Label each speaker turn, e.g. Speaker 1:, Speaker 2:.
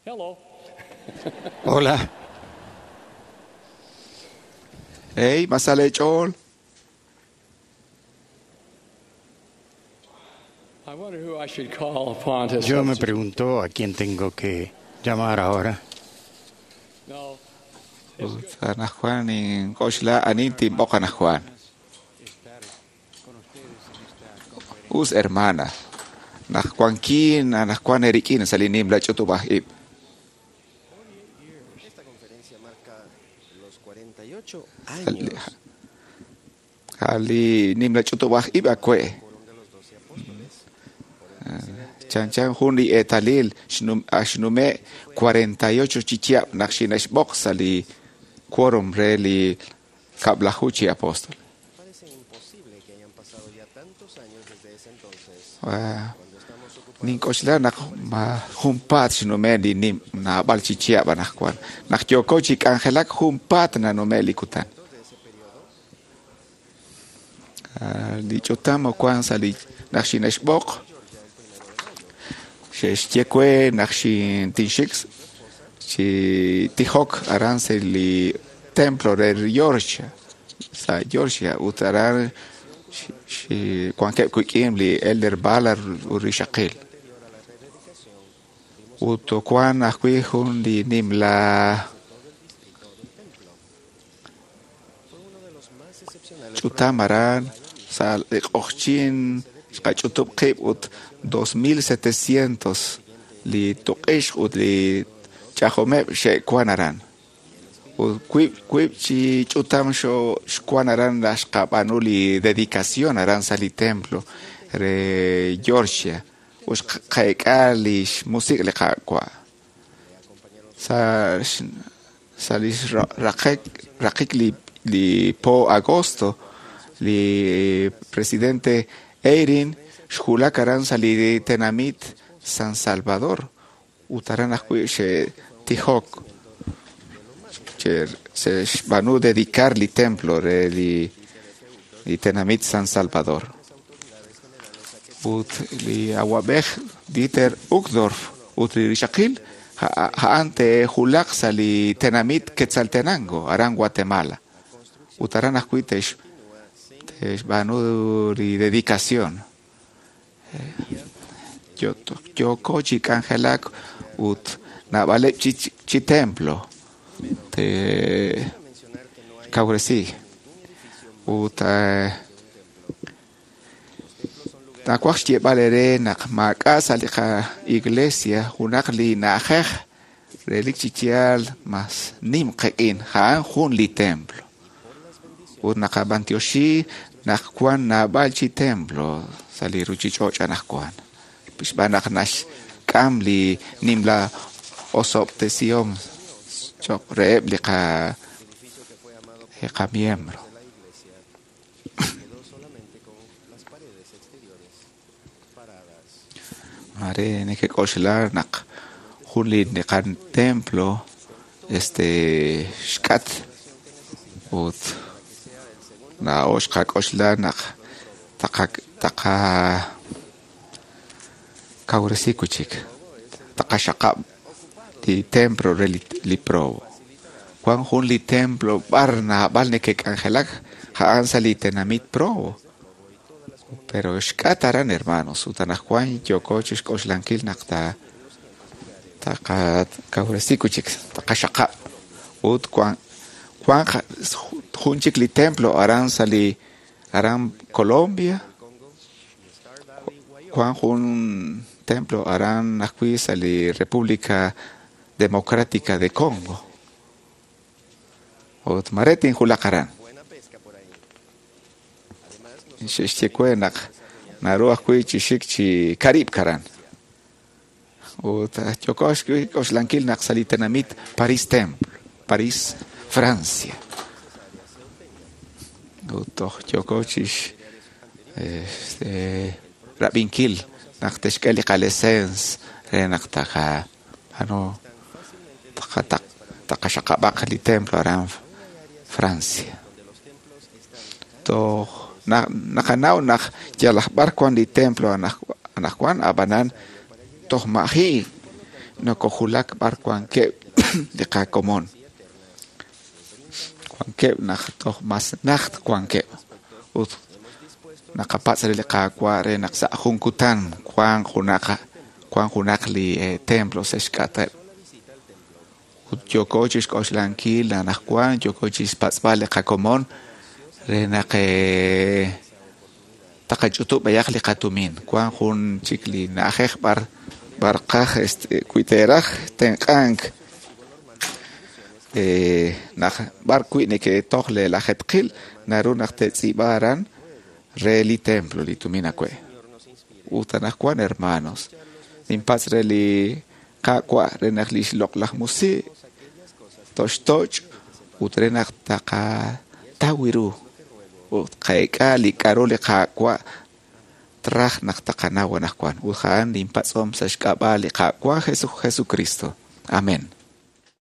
Speaker 1: Hello.
Speaker 2: Hola.
Speaker 3: Hey, masale chol.
Speaker 1: I wonder who I should call upon to
Speaker 2: Yo me
Speaker 1: substitute.
Speaker 2: pregunto a quién tengo que llamar ahora.
Speaker 1: No.
Speaker 3: Ut anajwan ink'oxla anin tinb'oq anajwan. Us hermana. Najwankin anajwan erikin sa li nimla ch'utub'aj ib'.
Speaker 4: Esta conferencia marca los 48 años
Speaker 3: Li nimla ch'utub'aj ib' akwe'.
Speaker 4: quórum de los 12 apóstoles. Por el presidente
Speaker 3: Chan chan jun li eetalil axnume' 48 chi chihab' naq xinexb'oq sa li quórum re li kab'laju chi apóstol.
Speaker 4: Parece imposible que hayan pasado ya tantos años desde ese entonces, cuando estamos ocupados
Speaker 3: Nink'oxla naq ma junpaat xnume' li nim naab'al chi chihab' anajwan. Naq yooko chi k'anjelak junpaat nanume' li kutan.
Speaker 4: de ese periodo,
Speaker 3: Li ch'utam wan sa li naq xinexb'oq xe'xye we naq xintinxik chi tijok aran sa li templo re Georgia sa Georgia ut aran wankeb' wik'in li Elder Ballard ut rixaqil.
Speaker 4: anterior a la rededicación, vimos
Speaker 3: Ut wan ajwi' jun li nimla
Speaker 4: todo el distrito del templo. Fue uno de los más excepcionales
Speaker 3: ch'utam aran sa li q'oqchin xqach'utub' qib' ut 2700 li tuq'ix ut li ch'ajomeb' xe'wan aran. Ut wib' chi ch'utam xwan aran la xqab'anu li dedicación aran sa li templo re Georgia ut xqeek'a li xmusik' li Qaawa'. Sa sa li raqik li po agosto li presidente Eyring xwulak aran sa li tenamit San Salvador ut aran ajwi' xe'tijok xe'xb'aanu dedicar li templo re li tenamit San Salvador. Ut li awab'ej Dieter Uchtdorf ut li rixaqil a'an te'wulaq sa li tenamit Quetzaltenango aran Guatemala. Ut aran ajwi' te'xb'aanu li dedicación. Yooko chi k'anjelak ut naab'aleb' chi templo te
Speaker 4: mencionar que no hay
Speaker 3: kawresi. Ut nawaj xyeeb'al eere naq maak'a' sa li qa-iglesia junaq li na'ajej relik chi yaal mas nim qek'in a'an jun li templo. Ut naqab'antioxi naq wan naab'al chi templo sa li ruchich'och' anajwan. Xb'aan naq naxk'am li nimla osob'tesihom cho'q reheb' li
Speaker 4: edificio que fue amado
Speaker 3: qamiembro.
Speaker 4: de la iglesia quedó solamente con las paredes exteriores paradas.
Speaker 3: Mare nekek'oxla naq jun li qatemplo este xk'at ut laa'o xqak'oxla naq taqa kawresi wi'chik taqaxaqab' li templo re li Provo. Wan jun li templo b'ar naab'al nekek'anjelak a'an sa li tenamit Provo. Pero xk'at aran hermanos ut anajwan yooko chixk'oxlankil naq taqakawresi wi'chik taqaxaqab' ut wan jun chik li templo aran sa li aran Colombia wan jun templo aran ajwi' sa li República Democrática de Congo. Ut mare tinwulaq aran.
Speaker 4: Buena pesca por ahí. Además, nosotros
Speaker 3: Xe'xye we naq naru ajwi' chi xik chi Karib karan. Ut yooko xk'oxlankil naq sa li tenamit Paris Temple, Paris, Francia. Ut toj yooko chix rab'inkil naq texk'e li qalesens re naq taqa ano taqaxaqab'aq li templo aran Francia.
Speaker 4: donde los templos están
Speaker 3: Toj naqanaw naq yalaj b'ar wan li templo anajwan ab'anan toj maji nokojulak b'ar wankeb' li qakomon. Wankeb' naq toj mas najt wankeb'. Ut naqapatz' re li Qaawa' re naq sa' jun kutan wanq junaq wanq junaq li templo sa' xk'ateb'. Ut yooko chixk'oxlankil anaqwan, yooko chixpatz'b'al li qakomon re naq taqach'utub' b'ayaq li qatumin. Wank jun chik li na'ajej b'ar b'ar qaj este wi teeraj tenq'ank naq b'ar wi' neke'toj le lajetqil naru naq te'tz'iib'a aran re li templo li tumin awe'. Ut anaqwan hermanos, ninpatz' re li Qaawa' re naq li xloq'laj musiq toxtoch' ut re naq taqataw ru ut qeek'a li k'a'ru li Qaawa' traj naq taqanaw anaqwan. Ut a'an ninpatz'om sa' xk'ab'a' li Qaawa' Jesucristo. Amén.